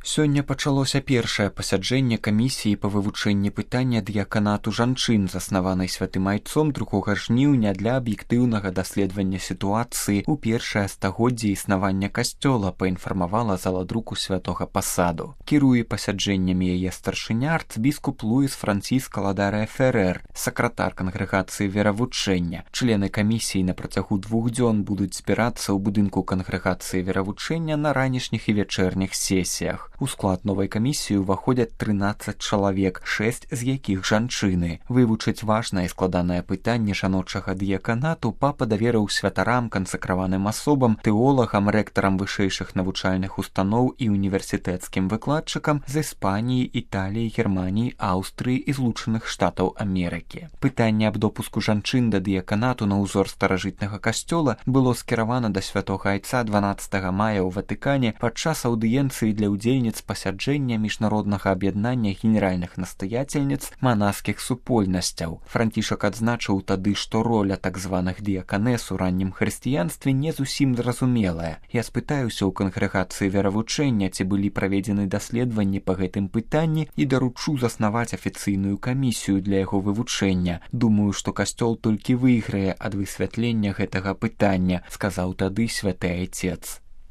Сёння пачалося першае пасяджэнне камісіі па вывучэнні пытання дыяканату жанчын, заснаванай святым айцом 2 жніўня для аб'ектыўнага даследавання сітуацыі ў першае стагоддзе існавання касцёла, паінфармавала зала друку святога пасаду. Кіруе пасяджэннямі яе старшыня арцбіскуп Луіс Франціска Ладарэ Ферэр, сакратар кангрэгацыі веравучэння. Члены камісіі на працягу 2 дзён будуць збірацца ў будынку кангрэгацыі веравучэння на ранішніх і вечэрніх сесіях. У склад новай камісіі ўваходзяць 13 чалавек, 6 з якіх жанчыны. Вывучыць важнае і складанае пытанне жаночага дыяканату папа даверыў святарам, кансакраваным асобам, тэолагам, рэктарам вышэйшых навучальных устаноў і універсітэцкім выкладчыкам з Іспаніі, Італіі, Германіі, Аўстрыі і Злучаных Штатаў Амерыкі. Пытанне аб допуску жанчын да дыяканату на ўзор старажытнага касцёла было скіравана да святога айца 12 мая ў Ватыкане падчас аўдыенцыі для ўдзельніц пасяджэння міжнароднага аб'яднання генеральных настаяцельніц манаскіх супольнасцяў. Францішак адзначыў тады, што роля так званых дыяканэс у раннім хрысціянстве не зусім зразумелая. Я спытаюся ў кангрэгацыі веравучэння, ці былі праведзены даследаванні па гэтым пытанні і даручу заснаваць афіцыйную камісію для яго вывучэння. Думаю, што касцёл толькі выйграе ад высвятлення гэтага пытання, сказаў тады святы айцец.